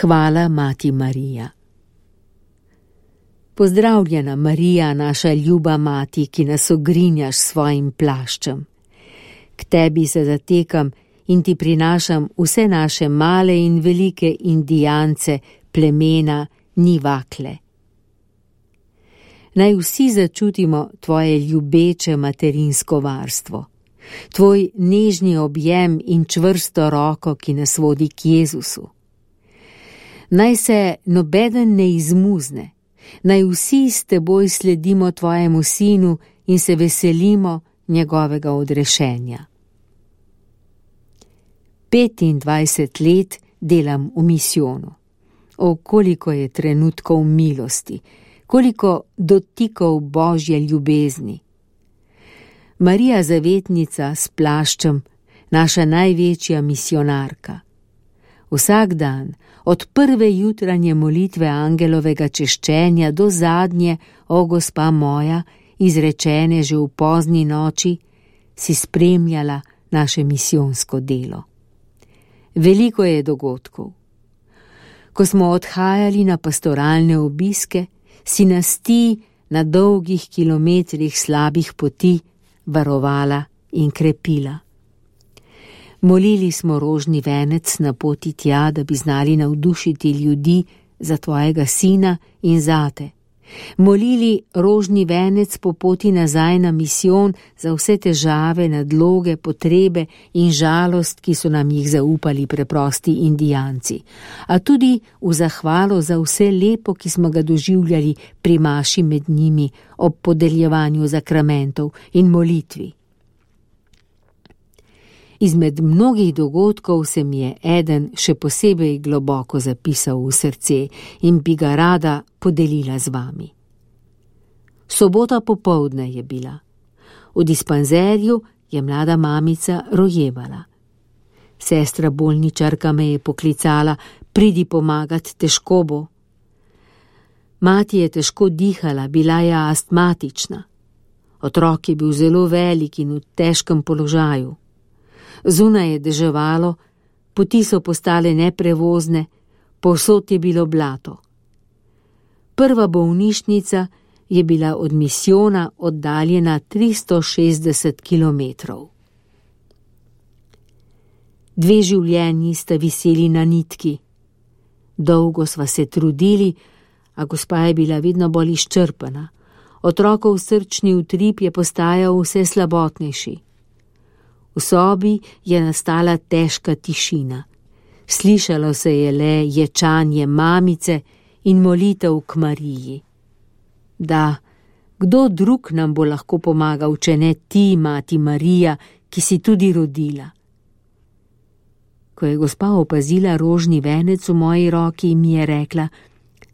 Hvala, Mati Marija. Pozdravljena, Marija, naša ljuba mati, ki nas ogrinjaš s svojim plaščem. K tebi se zatekam in ti prinašam vse naše male in velike indijance, plemena, nivakle. Naj vsi začutimo tvoje ljubeče materinsko varstvo, tvoj nežni objem in čvrsto roko, ki nas vodi k Jezusu. Naj se nobeden ne izmuzne, naj vsi s teboj sledimo tvojemu sinu in se veselimo njegovega odrešenja. 25 let delam v misijonu. O, koliko je trenutkov milosti, koliko dotikov Božje ljubezni. Marija Zavetnica s plaščem, naša največja misijonarka. Vsak dan, od prve jutranje molitve angelovega češčenja do zadnje, o gospa moja, izrečene že v pozni noči, si spremljala naše misijonsko delo. Veliko je dogodkov. Ko smo odhajali na pastoralne obiske, si nas ti na dolgih kilometrih slabih poti varovala in krepila. Molili smo rožni venec na poti tja, da bi znali navdušiti ljudi za tvojega sina in zate. Molili rožni venec po poti nazaj na misijon za vse težave, nadloge, potrebe in žalost, ki so nam jih zaupali preprosti indijanci, a tudi v zahvalo za vse lepo, ki smo ga doživljali pri maši med njimi ob podeljevanju zakramentov in molitvi. Izmed mnogih dogodkov se mi je eden še posebej globoko zapisal v srce in bi ga rada podelila z vami. Sobota popoldne je bila. V dispanzerju je mlada mamica rojevala. Sestra bolničarka me je poklicala, pridi pomagat, težko bo. Mati je težko dihala, bila je astmatična. Otrok je bil zelo velik in v težkem položaju. Zunaj je deževalo, poti so postale neprevozne, povsod je bilo blato. Prva bolnišnica je bila od misijona oddaljena 360 kilometrov. 2 življenji sta viseli na nitki. Dolgo sva se trudili, a gospa je bila vedno bolj izčrpana. Otrokov srčni utrip je postajal vse slabotnejši. V sobi je nastala težka tišina. Slišalo se je le ječanje mamice in molitev k Mariji. Da, kdo drug nam bo lahko pomagal, če ne ti, Mati Marija, ki si tudi rodila? Ko je gospa opazila rožni venec v moji roki, mi je rekla: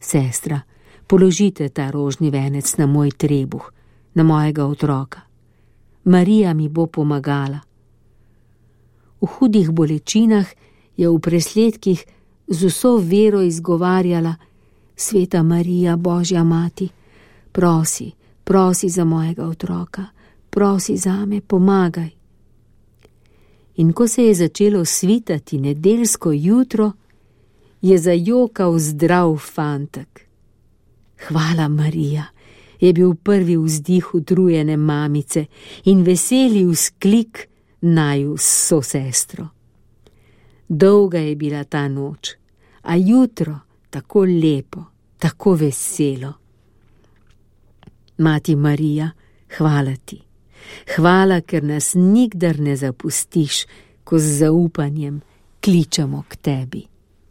sestra, položite ta rožni venec na moj trebuh, na mojega otroka. Marija mi bo pomagala. V hudih bolečinah je v presledkih z vso vero izgovarjala: Sveta Marija, Božja mati, prosi, prosi za mojega otroka, prosi zame, pomagaj. In ko se je začelo svitati nedeljsko jutro, je zajokal zdrav fantek. Hvala, Marija, je bil prvi vzdih utrujene mamice in veseli vzklik naju s sosestro. Dolga je bila ta noč, a jutro tako lepo, tako veselo. Mati Marija, hvala ti. Hvala, ker nas nikdar ne zapustiš, ko z zaupanjem kličemo k tebi.